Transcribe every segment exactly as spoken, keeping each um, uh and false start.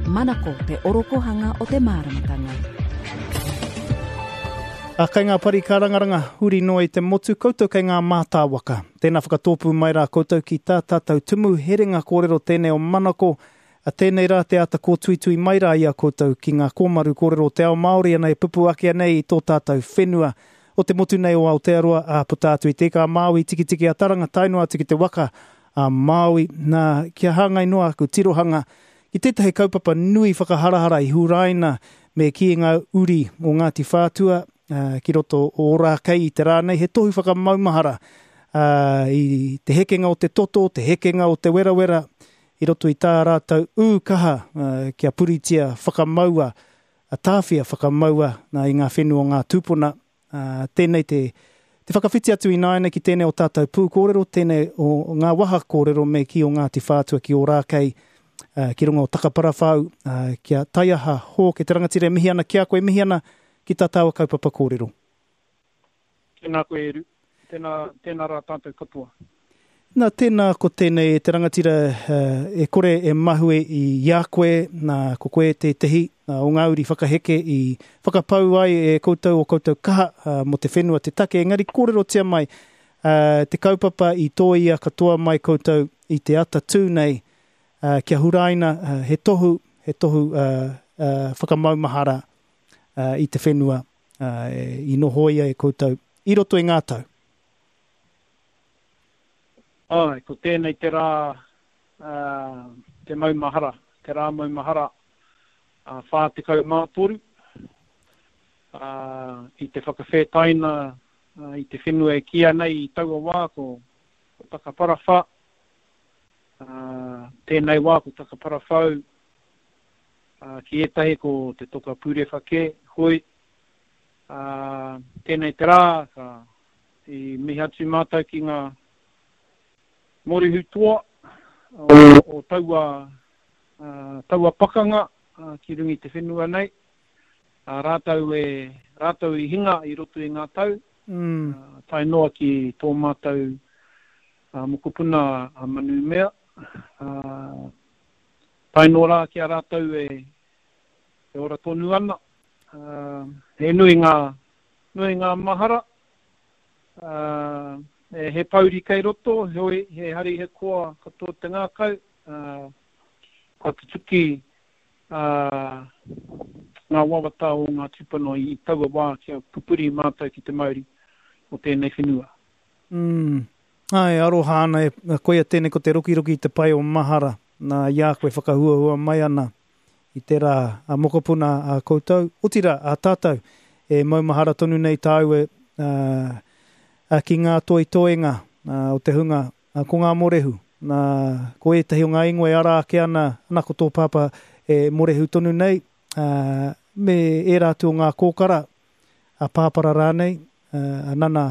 Manako te orokohanga o te māramatanga. A kei ngā pari kārangaranga, huri noa i te motu, koutou kei ngā mātāwaka. Tēnā whakatōpū mai rā koutou ki tā tātou tumu herenga kōrero tēnei o Manako. A tēnei rā te ata kōtuitui mai rā i a koutou ki ngā kōmaru kōrero o te ao Māori ana e pupu ake nei i tō tātou whenua o te motu nei o Aotearoa, a puta atu i te ika a Māui, tikitiki a Taranga, tae noa atu ki te waka a Māui. Nā, kia hāngai noa aku tirohanga ki tētahi kaupapa nui whakaharahara i huraina me kī ngā uri o Ngāti Whātua uh, ki roto o Ōrākei i te rā nei, he tohu whakamaumahara uh, i te hekenga o te toto, te hekenga o te werawera, i roto i tā rātou ū kaha uh, kia puritia whakamaua, a tāwhia whakamaua nā, i ngā whenua o ngā tūpuna. Uh, tēnei te, te whakawhiti atu i nāianei ki tēnei o tātou pū kōrero, tēnei o ngā waha kōrero me ki o Ngāti Whātua ki Ōrākei, uh, ki runga o Takaparawhau, uh, kia taiaha hōke te rangatira e mihi ana ki a koe, mihi ana ki tā tāua kaupapa kōrero. Tēnā koe Eru, tēnā, tēnā rā tātou katoa. Nā, tēnā ko tēnei te rangatira uh, e kore e mahue i a koe, nā, ko koe tētehi uh, o ngā uri whakaheke i whakapau ai e koutou o koutou kaha uh, mō te whenua te take. Engari kōrerotia mai uh, te kaupapa i tōia katoa mai koutou i te ata tū nei uh, kia huraina uh, he tohu, he tohu uh, uh, whakamaumahara uh, i te whenua uh, i nohoia e koutou i roto i ngā tau. Ai, ko tēnei te rā uh, te maumahara, te rā maumahara uh, whā tekau mā toru, uh, i te whakawhētaina uh, i te whenua e kīia nei i taua wā ko, ko Takaparawhā, uh, tēnei wā ko Takaparawhau, uh, ki ētahi ko te toka pūrewha kē, hoi, uh, tēnei te rā, ka, i mihi atu mātou ki ngā Morihu toa o, o taua, uh, taua pakanga uh, ki runga i te whenua nei. Uh, rātou, e, rātou i hinga i roto i ngā tau, mm. uh, tae noa ki tō mātou uh, mokopuna a Manumea. Uh, tae noa rā ki a rātou e, e ora tonu ana. Uh, he nui ngā, nui ngā mahara. Uh, he pauri kei roto, heoi, he hari he koa katoa te ngākau, uh, kua tutuki uh, ngā wawata o ngā tūpuna i taua wā kia pupuri mātou ki te mauri o tēnei whenua. Mm. Ai, aroha ana, e, koia tēnei ko te rokiroki i te pai o mahara, nā i a koe whakahuahua mai ana i te rā a mokopuna a koutou, otirā a tātou, e maumahara tonu nei tāu e, uh, ki ngā toitoenga uh, o te hunga, uh, ko ngā morehu. Nā, ko ētahi o ngā ingoa e ara ake ana, ana ko tō pāpā e morehu tonu nei, uh, me ērā atu o ngā kōkara, a pāpara rānei, uh, a Nana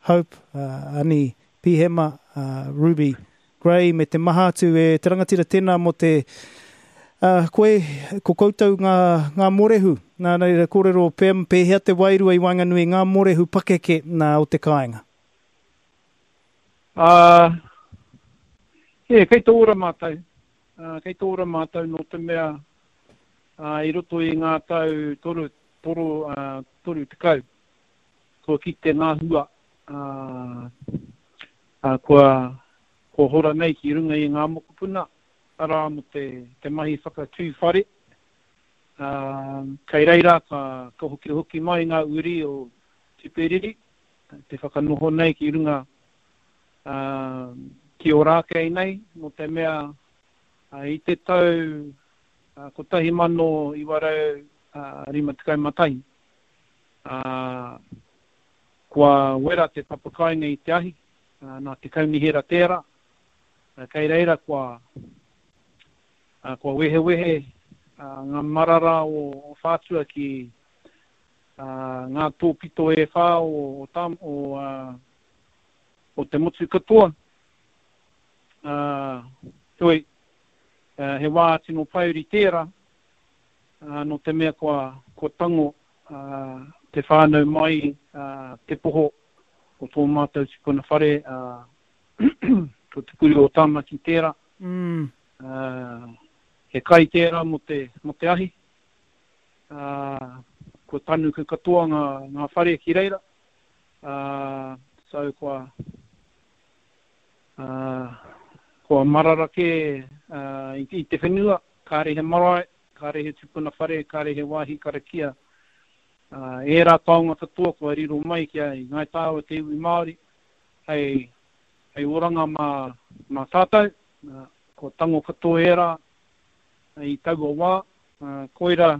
Hope, uh, Ani Pihema, uh, Ruby Gray, me te maha atu e te rangatira tēnā mō te uh, koe, ko koutou ngā, ngā morehu. Nā, nā, kōrero pē, pēhea te wairua i waenganui ngā morehu pakeke nā o te kāinga? Uh, e, kei tō ora mātou. Uh, kei tō ora mātou nō te mea uh, i roto i ngā tau toru, toru, uh, toru tekau. Kua kite ngā hua, uh, uh, kua, kua hora nei ki runga i ngā mokopuna, arā mō te, te mahi whakatū whare. Uh, kei reira ka, ka hoki hoki mai ngā uri o Tuperiri, te whakanoho nei ki runga uh, ki Ōrākei nei, mō te mea uh, i te tau uh, kotahi mano iwa rau uh, rima tekau mā tahi. Uh, kua wera te papakainga i te ahi, uh, nā te kaunihera tērā. Uh, kei reira kua, uh, kua wehewehe uh, ngā marara o, o Whātua ki uh, ngā tōpito e whā o, o, tam, o, uh, o te motu katoa. Uh, heoi, uh, he wā tino pauri tērā, uh, nō te mea kua, kua tango uh, te whānau mai uh, te poho o tō mātou tupuna whare, uh, ko te puri o Tāmaki tērā. Mm. Uh, He kai tērā mō te, mō te ahi. Uh, kua tanuku katoa ngā, ngā whare ki reira. Uh, so kua, uh, kua marara kē uh, i, i te whenua, kāre he marae, kāre he tupuna whare, kāre he wāhi karakia. Uh, ērā taonga katoa kua riro mai ki a i Ngāi Tāua te iwi Māori, hei, hei oranga mā, mā tātou, uh, kua tango katoa ērā i taua wā. Uh, koira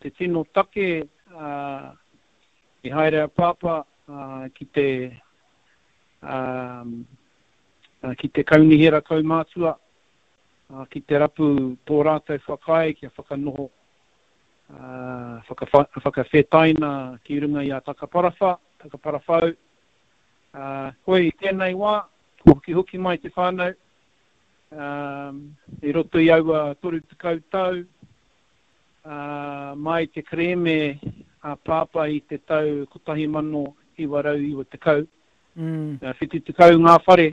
te tino take uh, i haere a Pāpā uh, ki te um, uh, ki te kaunihera kaumātua, uh, ki te rapu tō rātou whakaae kia whakanoho, uh, whakawha, whakawhetaina ki runga i a Takaparawhā, Takaparawhau. Uh, hoi i tēnei wā, kua hokihoki mai te whānau, um, i roto i aua toru tekau tau, uh, mai te kerēme a Pāpā i te tau kotahi mano iwa rau iwa tekau. Mm. Uh, whitu tekau ngā whare,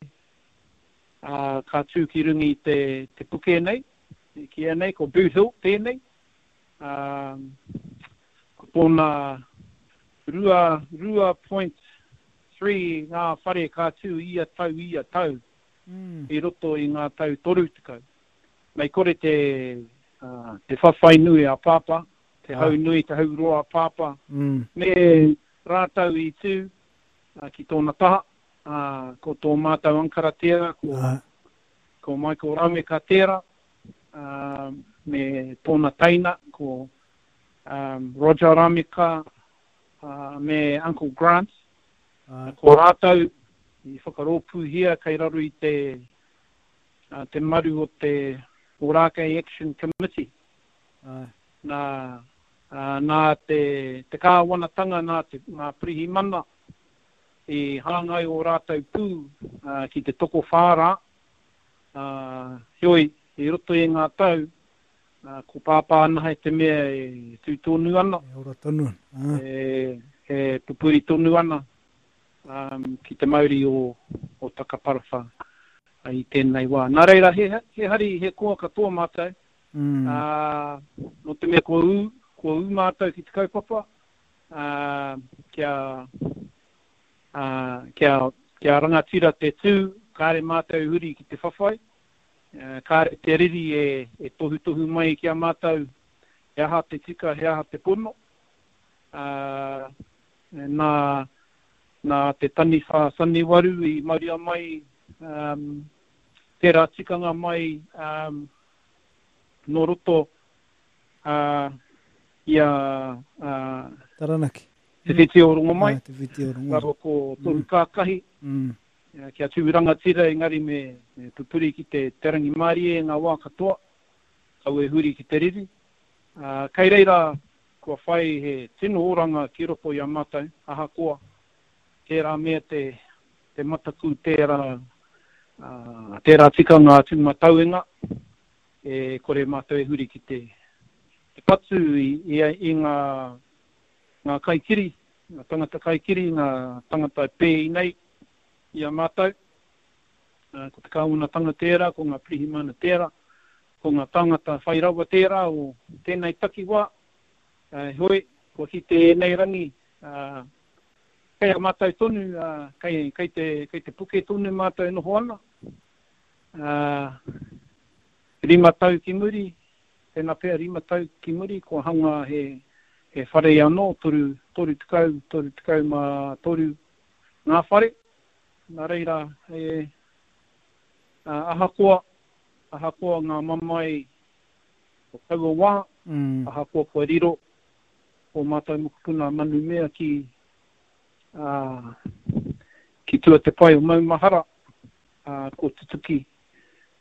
uh, ka tū ki runga i te, te puke nei, ki nei, ko Boot Hill tēnei. Um, ko tōna rua, rua point three ngā whare ka tū ia tau, ia tau, Mm. i roto i ngā tau toru tekau. Mei kore te, uh, te whawhai nui a Pāpā, te Ah. hau nui, te hau roa a Pāpā, Mm. me rātou i tū, uh, ki tōna taha, uh, ko tō mātou ankara tērā, ko, Ah. ko Michael Rameka tērā, uh, me tōna teina, ko, um, Roger Rameka, uh, me Uncle Grant. Ah. Ko rātou i whakarōpūhia kei raro i te, uh, te maru o te Ōrākei Action Committee. Ah. Nā, uh, nā te, te kāwanatanga, nā te, ngā pirihimana i hāngai o rātou pū, uh, ki te tokowhā rā. Uh, heoi, i roto i ngā tau, uh, ko Pāpā anahe te mea e tū tonu ana. E ora tonu ana. Ah. E, e pupuri tonu ana, um, ki te mauri o, o Takaparawhā i tēnei wā. Nā reira, he, he hari, he koa katoa mātou. Mm. Uh, nō te mea kua ū, kua ū mātou ki te kaupapa, uh, kia, uh, kia, kia rangatira te tū, kāre mātou huri ki te whawhai, uh, kāre te riri e, e tohutohu mai ki a mātou, he aha te tika, he aha te pono. Uh, nā, nā te taniwha saniwaru i mauria mai, um, tērā tikanga mai, um, nō roto, uh, i a, uh, Taranaki. Te Whiti o Rongomai. Ah, Te Whiti o Rongomai. Raro ko Tohu Kākahi. Mm. Uh, kia tū rangatira engari me, me pupuri ki te, te rangimārie ngā wā katoa, kau e huri ki te riri. Uh, kei reira, kua whai he tino oranga ki roto i a mātou, ahakoa, tērā mea te, te mataku, tērā, uh, tērā tikanga tūmatauenga, e kore mātou e huri ki te, te patu i, i, i ngā, ngā kaikiri, ngā tangata kaikiri, ngā tangata e pēi nei i a mātou. Uh, ko te kāwanatanga tērā, ko ngā pirihimana tērā, ko ngā tangata whai rawa tērā o tēnei takiwā. Uh, hoi, kua ki te ēnei rangi, uh, kei a mātou tonu, uh, kei, kei, te, kei te puke tonu mātou e noho ana. Uh, rima tau ki muri, tēnā pea rima tau ki muri, kua hanga he, he whare anō, toru, toru tekau, toru tekau mā toru ngā whare. Nā reira, e, uh, ahakoa, ahakoa ngā mamae o taua wā, Mm. ahakoa kua riro o mātou mokopuna manumea ki, uh, ki tua te pai o Maumahara, uh, ko tutuki,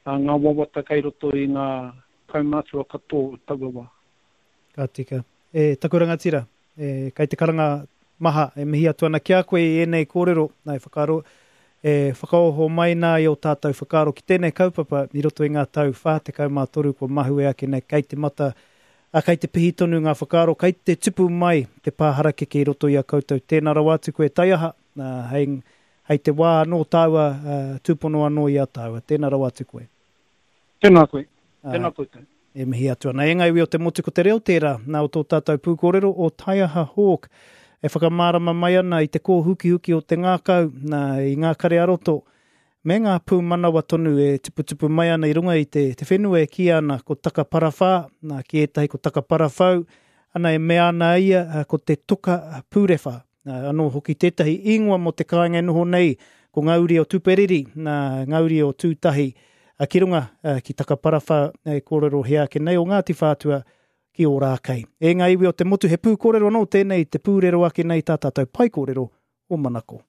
uh, ngā wawata kei roto i ngā kaumātua katoa o taua wā. Ka tika. E, taku rangatira, e, kei te karanga maha, e mihi atu ana ki a koe i ēnei kōrero, nā, e whakaaro, e whakaoho mai nā i o tātou whakaaro ki tēnei kaupapa i roto i ngā tau whā tekau mā toru kua mahue ake nei, kei te mata, a, kei te pihi tonu ngā whakaaro, kei te tupu mai te pā harakeke i roto i a koutou. Tēnā rawa atu koe taiaha, nā, hei, hei te wā anō tāua, uh, tūpono anō i a tāua. Tēnā rawa atu koe. Tēnā koe. Ā, Tēnā koutou. E mihi atu ana. E ngā iwi o te motu ko te reo tērā, nā o tō tātou pūkōrero o Taiaha Hawke, e whakamārama mai ana i te kōhukihuki o te ngākau, nā, i ngā kare aroto, me ngā pūmanawa tonu e tuputupu mai ana i runga i te, te whenua e kīia ana ko Takaparawhā, nā, ki ētahi ko Takaparawhau, ana e mea ana ia ko te toka pūrewha. Nā, anō hoki tētahi ingoa mō te kāinga e noho nei, ko ngā uri o Tuperiri, nā, ngā uri o Tūtahi, ki runga ki Takaparawhā e kōrero hea ake nei o Ngāti Whātua ki Ōrākei. E ngā iwi o te motu, he pūkōrero anō tēnei, te pūrero ake nei tā tātou pae kōrero o Manako.